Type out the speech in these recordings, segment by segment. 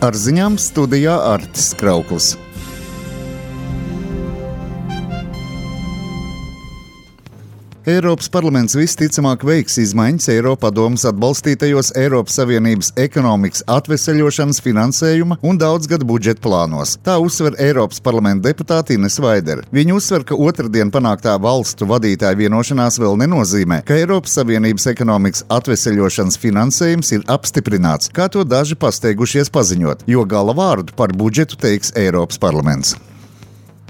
Ar ziņām studijā Artis Krauklis. Eiropas parlaments visticamāk veiks izmaiņas Eiropadomes atbalstītajos Eiropas Savienības ekonomikas atveseļošanas finansējuma un daudzgadu budžeta plānos. Tā uzsver Eiropas parlamenta deputāte Ines Vaidere. Viņa uzsver, ka otrdien panāktā valstu vadītāju vienošanās vēl nenozīmē, ka Eiropas Savienības ekonomikas atveseļošanas finansējums ir apstiprināts, kā to daži pasteigušies paziņot, jo gala vārdu par budžetu teiks Eiropas parlaments.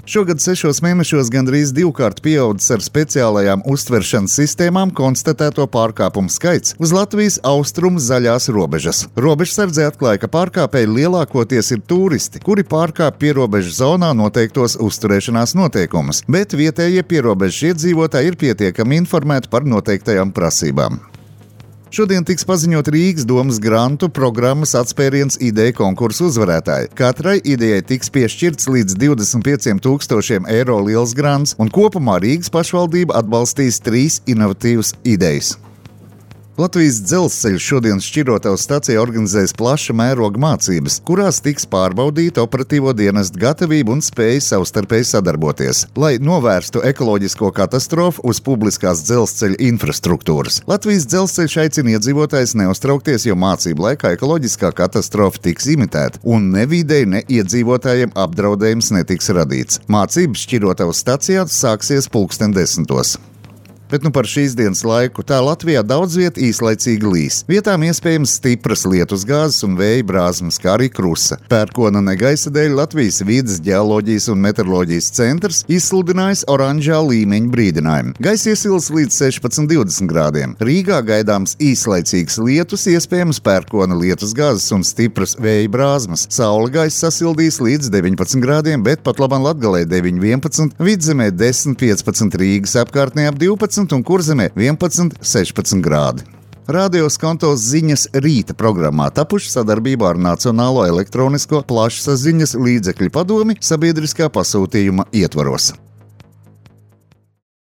Šogad 6 mēnešos gandrīz divkārt pieaudzis ar speciālajām uztveršanas sistēmām konstatēto pārkāpumu skaits uz Latvijas austrumu zaļās robežas. Robežsardze atklāja, ka pārkāpēji lielākoties ir turisti, kuri pārkāp pierobežu zonā noteiktos uzturēšanās noteikumus, bet vietējie pierobežu iedzīvotāji ir pietiekami informēti par noteiktajām prasībām. Šodien tiks paziņot Rīgas domas grantu programmas atspēriens ideja konkursu uzvarētāji. Katrai idejai tiks piešķirts līdz 25,000 eiro liels grants, un kopumā Rīgas pašvaldība atbalstīs 3 inovatīvas idejas. Latvijas dzelzceļš šodien Šķirotavas stacijā organizēs plaša mēroga mācības, kurās tiks pārbaudīta operatīvo dienestu gatavība un spēja savstarpēji sadarboties, lai novērstu ekoloģisko katastrofu uz publiskās dzelzceļa infrastruktūras. Latvijas dzelzceļš aicina iedzīvotājus neuztraukties, jo mācību laikā ekoloģiskā katastrofa tiks imitēta un ne videi, ne iedzīvotājiem apdraudējums netiks radīts. Mācības Šķirotavas stacijā sāksies 10:00. Bet par šīs dienas laiku tā Latvijā daudz viet īslaicīgi līs. Vietām iespējams stipras lietusgāzes un vēja brāzmas, kā arī krusa. Pērkona negaisa dēļ Latvijas vides, ģeoloģijas un meteoroloģijas centrs izsludinājis oranžā līmeņa brīdinājumu. Gaisa iesils līdz 16-20 grādiem. Rīgā gaidāms īslaicīgs lietus, iespējams pērkona lietusgāzes un stipras vēja brāzmas. Saule gaisa sasildīs līdz 19 grādiem, bet pat labam Latgalē 9-11, Vidzemē 10-15, Rīgas apkārtnē ap 12 un Kurzemē 11-16 grādi. Radio Skontos ziņas rīta programmā tapuši sadarbībā ar Nacionālo elektronisko plašsaziņas līdzekļu padomi sabiedriskā pasūtījuma ietvaros.